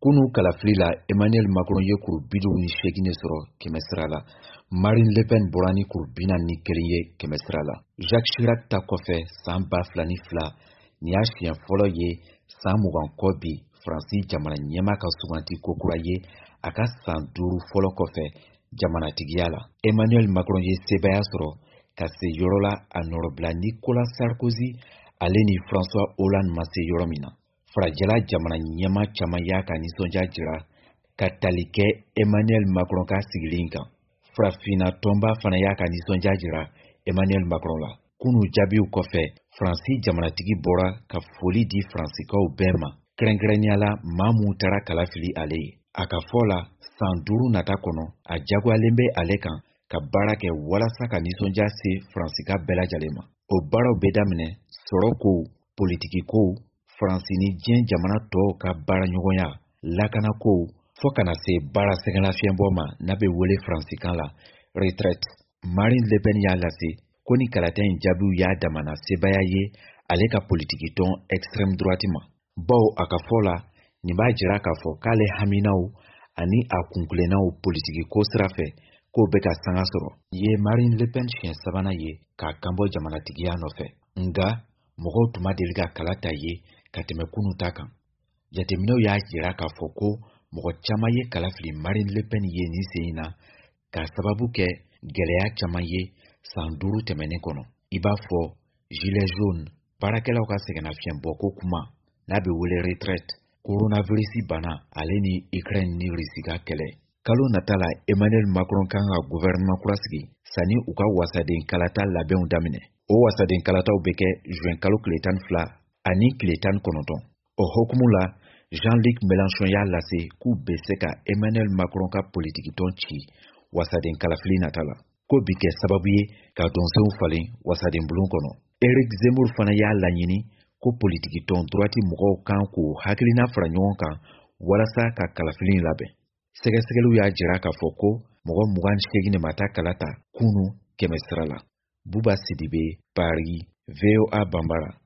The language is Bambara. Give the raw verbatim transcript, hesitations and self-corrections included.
Kunu kalafili la, Emmanuel Macron ye kuru bi duuru ni seegin de sɔrɔ kɛmɛ sira la. Marine Le Pen bɔra ni kuru bi naani ni kelen ye kɛmɛ sira la. Jacques Chirac ta kɔfɛ san ba fila ni fila, nin y'a siɲɛ fɔlɔ ye san mugan kɔ bi, Faransi jamana ɲɛmaa ka suganti kokura ye a ka san duuru fɔlɔ kɔfɛ jamanatigiya la. Emmanuel Macron ye sebaaya sɔrɔ ka se yɔrɔ la a nɔrɔbila Nicolas Sarkozy ale ni François Hollande ma se yɔrɔ min na. Farajɛla jamana ɲɛmaa caman y'a ka nisɔndiya jira ka tali kɛ Emmanuel Macron ka sigili kan. Farafinna tɔnba fana y'a ka nisɔndiya jira Emmanuel Macron la. Kunu jaabiw kɔfɛ, Faransi jamanatigi bɔra ka foli di Faransikaw bɛɛ ma, kɛrɛnkɛrɛnnenya la maa mun taara kala fili ale ye. A ka fɔ la, san duuru nata kɔnɔ, a jagoyalen bɛ ale kan ka baara kɛ walasa ka nisɔndiya se Faransika bɛɛ lajɛlen ma. O baaraw bɛ daminɛ sɔrɔ kow, politiki kow, Faransi ni diɲɛ jamana tɔw ka baaraɲɔgɔnya, lakanakow, fɔɔ ka na se baara sɛgɛnlafiɲɛbɔ ma n'a bɛ wele faransikan la retraite. Marine Le Pen y'a lase ko ni kalata in jaabiw y'a damana sebaaya ye ale ka politiki tɔn extrême droite ma, bawo a ka fɔ la, nin b'a jira k'a fɔ k'ale haminaw ani a kunkilennaw politiki ko sira fɛ k'o bɛ ka sanga sɔrɔ. Nin ye Marine Le Pen siɲɛ sabanan ye k'a kanbɔ jamanatigiya nɔfɛ, nga mɔgɔw tun ma deli ka kala ta ye ka tɛmɛ kunu ta kan. Jateminɛw y'a jira k'a fɔ ko mɔgɔ caman ye kala fili Marine Le Pen ye nin sen in na k'a sababu kɛ gɛlɛya caman ye san duuru tɛmɛnen kɔnɔ, i b'a fɔ gilet jaune, baarakɛlaw ka sɛgɛnnafiɲɛbɔko kuma n'a bɛ wele retraite, coronavirus bana, ale ni Ukraine ni Russie ka kɛlɛ. Kalo nata la, Emmanuel Macron kan ka gouvernement kura sigi sanni u ka wasaden kalata labɛnw daminɛ. O wasaden kalataw bɛ kɛ juin kalo tile tan ni fila ani tile tan ni kɔnɔntɔn. O hukumu la, Jean-Luc Mélenchon y'a lase k'u bɛ se ka Emmanuel Macron ka politikitɔn ci wasaden kalafili nata la, k'o bi kɛ sababu ye ka dɔnsenw falen wasaden bulon kɔnɔ. Eric Zemmour fana y'a laɲini ko politikitɔn droite mɔgɔw kan k'u hakilina fara ɲɔgɔn kan walasa ka kalafili in labɛn. Sɛgɛsɛgɛliw y'a jira k'a fɔ ko mɔgɔ mugan ni seegin de ma taa kala ta kunu kɛmɛ sira la. Buba Sidibe, Paris, V O A Banbara.